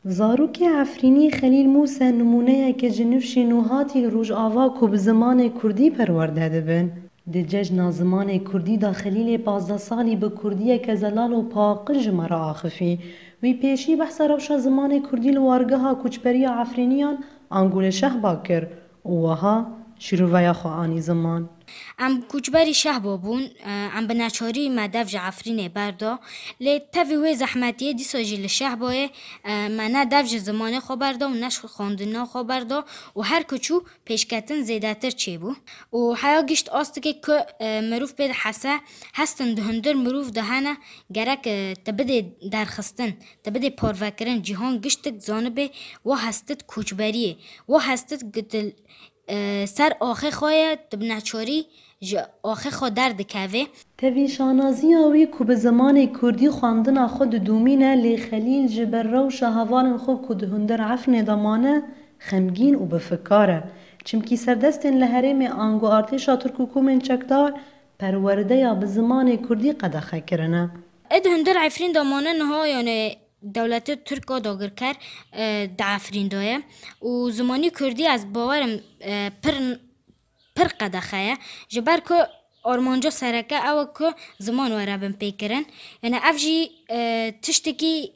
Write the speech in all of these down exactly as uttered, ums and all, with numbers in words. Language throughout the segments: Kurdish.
Zarokê Efrînî Xelîl Mûse nimûneyeke ji nifşên nûhatî li Rojava ku bi zimanê kurdî perwerde dibin. Di cejna zimanê kurdî de Xelîlê pazdeh salî bi kurdiyeke zelal û paqij ji me re axifî. Wî pêşî behsa rewşa zimanê kurdî li wargeha koçberiya Efrîniyan ango li Şehba kir û wiha şîroveya xwe anî ziman. Em koçberî Şehba bûn, e, em bi neçarî me dev ji Efrînê berda. Lê tevî wê zehmetiyê dîsa jî li Şehbayê, e, me ne dev ji zimanê xwe berda û ne ji xwendina xwe berda û her ku çû pêşketin zêdetir çêbû. Û heya gişt astikê ku, e, mirov pê dihese, hestin di hundir mirov de hene, gerek, e, te bidê derxistin, te bidê parvekirin, cîhan giştik zanibê, wa hestit koçberiyê, wa hestit gitil, e, ser axê xwe ye, tu bi neçarî ji axê xwe derdikevê. Tevî şanaziya wî ku bi zimanê kurdî xwendina xwe didomîne, lê Xelîl ji ber rewşa hevalên xwe ku di hundir Efrînê de mane, xemgîn û bifikar e. Çimkî serdestên li herêmê ango artêşa Tirk û komên çekdar perwerdeya bi zimanê kurdî qedexe kirine. Ê di hundir Efrîn de mane niha, yani dewletê Tirk a dagirker, e, di Efrîn de ye û zimanî kurdî ez bawerim, e, pir, pir qedexe ye. Ji ber ku armanca sereke ew e ku ziman were binpêkirin. Yani ev jî, e, tiştekî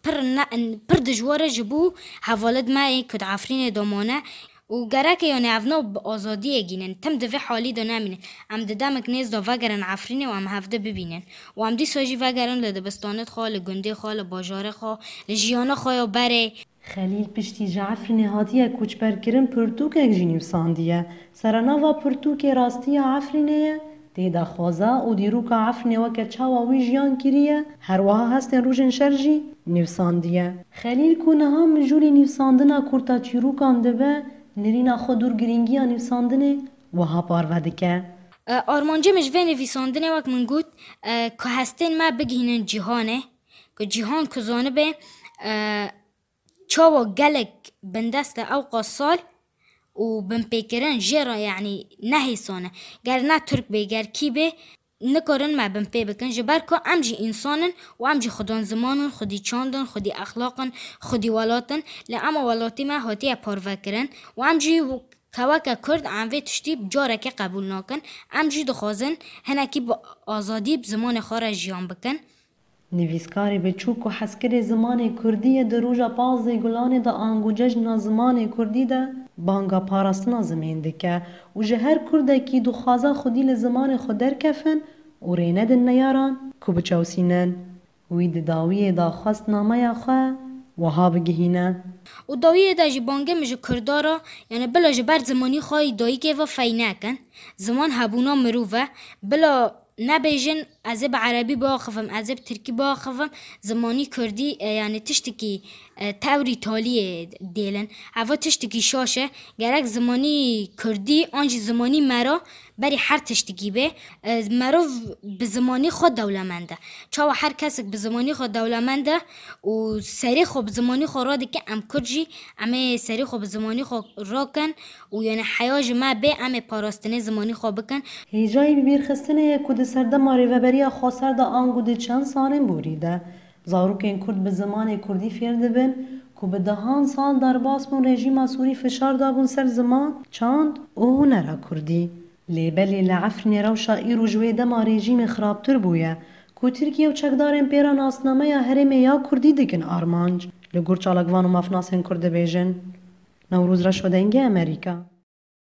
pir ne, pir dijwar e ji bo hevalid me ê ku di Efrînê de mane û gerek e, yani ev nav bi azadiyê gînin. Tim di vê halî de nemînin. Em di demek nêz de vegerin Efrînê û em hevdi bibînin. Û em dîsa jî vegerin li dibistanê xwe, li gundê xwe, li bajarê xwe, li jiyana xwe ya berê. Xelîl piştî ji Efrînê hatiye koçberkirin pirtûkek jî nivîsandiye. Serenava pirtûkê Rastiya Efrînê ye. Tê de xweza û dîroka Efrînê weke çawa wî jiyan kiriye, her wiha hestên rojên şer jî nivîsandiye. Xelîl ku niha mijûlî nivîsandina kurta çîrokan dibe, nirîna xwe dûr girîngiya nivîsandinê wiha parve dike. E, armancê min ji vê nivîsandinê, wek min got, e, ku hestên me bigihînin cîhanê, ku cîhan ku zanibe, e, çawa gelek bindest e ewqas sal û binpêkirin jê re, yanî nehêsan e. Ger ne Tirk bê, ger kî bê, nikarin me binpê bikin, ji ber ku em jî însan in û em jî xwedên ziman in, xwedî çand in, xwedî exlaq in, xwedî welat in. Lê ema welatî me hatiye parvekirin û em jî keweke Kurd em vê tiştî bi carekê qebûl nakin. Em jî dixwazin hinekî bi azadî bi zimanê xwe re jiyan bikin. Nivîskarê biçûk ku hezkirê zimanê kurdî ye, di roja pazdeh Gulanê de ango cejna zimanê kurdî de banga parastina zimên dike û ji her kurdekî dixwaze xwedî li zimanê xwe derkefin û rê nedin neyaran ku biçewsînin. Wî di dawiyê de xwest nameya xwe wiha bigihîne. Û dawiyê de jî bangê min ji kurda re, yani bila ji ber zimanî xwe yî dayikê ve fey nekin. Ziman hebûna mirov e. Bila nebêjin, ez ê bi erebî biaxivim, ez ê bi tirkî biaxivim, zimanî kurdî, e, yani tiştekî, e, tewrî taliyê dêlin. Eva tiştekî şaş e. Gerek zimanî kurdî an jî zimanî me re berî her tiştekî bê. E, merov bi zimanî xwe dewlemend e. Çawa her kesek bi zimanî xwe dewlemend e û serê xwe bi zimanî xwe radike, em Kurd jî em ê serê xwe bi zimanî xwe rakin û yani heya ji me bê, em ê parastinê zimanî xwe bikin. Hêjayî bibîrxistinê ye ku di serdema Rêveberiya Xweser de ango di çend salên borî de zarokên Kurd bi zimanê kurdî fêr dibin ku bi dehan sal derbas bûn, rejîma Sûrî fişar dabûn ser ziman, çand û hunera kurdî. Lê belê li Efrînê rewşa îro ji wê dema rejîmê xirabtir bûye ku Tirkiye û çekdarên pê re nasnameya herêmê ya kurdî dikin armanc. Li gor çalakvan û mafnasên Kurd dibêjin. Newroz Reşo, Dengê Amerîka.